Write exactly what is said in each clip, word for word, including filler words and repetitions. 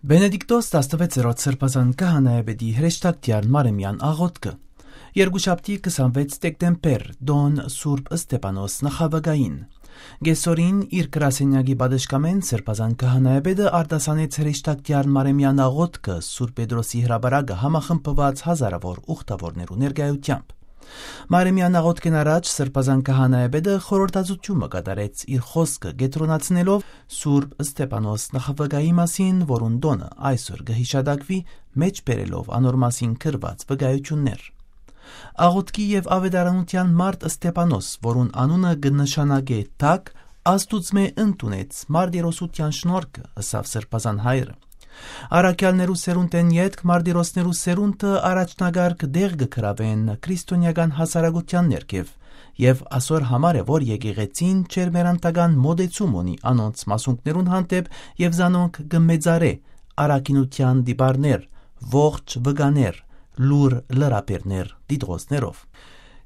Վենեդիկտոս տասնվեցերորդ Սրբազան Քահանայապետի հրեշտակտեան Մարեմեան աղօթքը։ Երկուշաբթի քսանվեց դեկտեմբեր, տօն Սուրբ Ստեփանոս նախավգային։ Կեսօրին իր գրասենյակի պատշգամէն Սրբազան Քահանայապետը արտասանեց հրեշտակտեան Մարեմեան աղօթքը Սուրբ Պետրոսի հրապարակը համախմբուած հազարաւոր ուխտաւորներու ներկայութեամբ։ Մարեմեան աղօթքէն առաջ Սրբազան Քահանայապետը խորհրդածութիւն մը կատարեց իր խօսքը կեդրոնացնելով Սուրբ Ստեփանոս նախավգայի մասին, որուն տօնը այսօր կը յիշատակուի, մէջբերելով անոր մասին գրուած վկայութիւններ։ Աղօթքի եւ աւետարանութեան մարդ Ստեփանոս, որուն անունը կը նշանակէ թագ, Աստուծմէ ընդունեց մարտիրոսութեան շնորհքը, ըսաւ Սրբազան հայրը։ Առաքեալներու սերունդէն ետք մարտիրոսներու սերունդը առաջնակարգ տեղ կը գրաւեն քրիստոնեական հասարակութեան ներքեւ, եւ ասոր համար է, որ եկեղեցին ջերմեռանդական մօտեցում ունի անոնց մասունքներուն հանդէպ եւ զանոնք կը մեծարէ առաքինութեան տիպարներ, ողջ վկաներ, լուր լրաբերներ դիտողներով։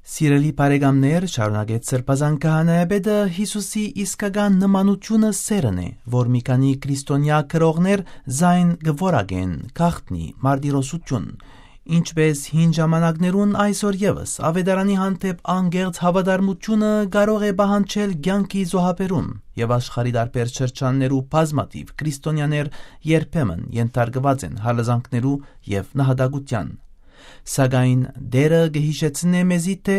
Սիրելի բարեկամներ, շարունակեց Սրբազան Քահանայապետը, Յիսուսի իսկական նմանութիւնը սէրն է, որ մի քանի քրիստոնեայ գրողներ զայն կը որակեն, գաղտնի մարտիրոսութիւն։ Ինչպէս հին ժամանակներուն, այսօր եւս աւետարանի հանդէպ անկեղծ հաւատարմութիւնը կարող է պահանջել կեանքի զոհաբերում, եւ աշխարհի տարբեր շրջաններու բազմաթիւ քրիստոնեաներ երբեմն ենթարկուած են հալազանքներու եւ նահատակութեան։ Սակայն Տէրը կը յիշեցնէ մեզի, թէ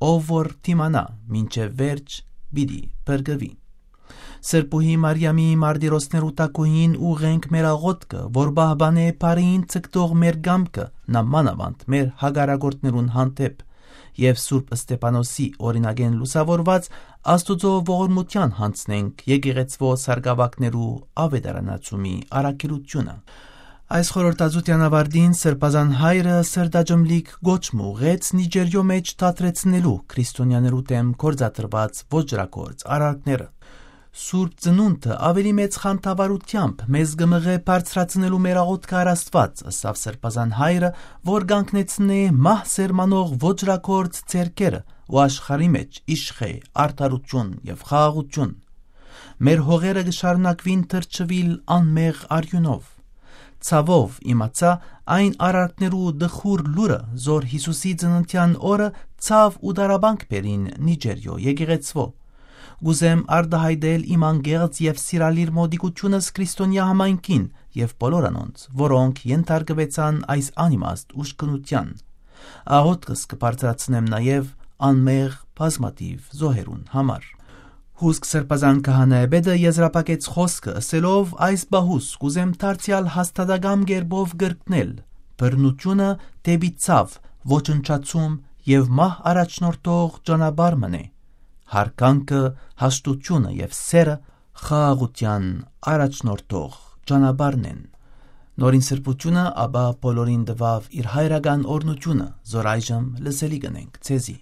ով որ դիմանայ մինչեւ վերջ, պիտի փրկուի։ Սրբուհի Մարիամի մարտիրոսներու թագուհին ուղղենք մեր աղօթքը, որ պահպանէ բարիին ձգտող մեր կամքը, նամանաւանդ մեր հակառակորդներուն հանդէպ, եւ Սուրբ Ստեփանոսի օրինակէն լուսաւորուած Աստուծոյ ողորմութեան յանձնենք եկեղեցւոյ սարկաւագներու աւետարանացումի առաքելութիւնը։ Այս խորհրդածութեան աւարտին Սրբազան հայրը սրտաճմլիկ կոչ մը ուղղեց Նիճերիոյ մէջ դադրեցնելու քրիստոնեաներու դէմ գործադրուած ոճրագործ արարքները։ Սուրբ Ծնունդը աւելի մեծ խանդավառութեամբ մեզ կը մղէ բարձրացնելու մեր աղօթքը առ Աստուած, ըսաւ Սրբազան հայրը, որ կանգնեցնէ մահ սերմանող ոճրագործ ձեռքերը ու աշխարհի մէջ իշխէ արդարութիւն եւ խաղաղութիւն։ Մեր հողերը կը շարունակուին թռչուիլ անմեղ արիւնով։ Ցաւով իմացայ այն արարքներու տխուր լուրը, զոր Յիսուսի ծննդեան օրը ցաւ ու տառապանք բերին Նիճերիոյ եկեղեցւոյ։ Կ'ուզեմ արտայայտել իմ անկեղծ եւ սիրալիր մօտիկութիւնս քրիստոնեայ համայնքին եւ բոլոր անոնց, որոնք ենթարկուեցան այս անիմաստ ուժգնութեան։ Աղօթքս կը բարձրացնեմ նաեւ անմեղ բազմաթիւ զոհերուն համար։ Հուսկ Սրբազան Քահանայապետը եզրափակեց խօսքը, ըսելով. «Այս պահուս կ'ուզեմ դարձեալ հաստատակամ կերպով կրկնել. բռնութիւնը դէպի ցաւ, ոչնչացում եւ մահ առաջնորդող ճանապարհ մըն է։ Յարգանքը հաստութիւնը եւ սէրը խաղաղութեան առաջնորդող ճանապարհն են»։ Նորին Սրբութիւնը ապա բոլորին տուաւ իր հայրական օրհնութիւնը, զոր այժմ լսելի կ'ընենք ձեզի։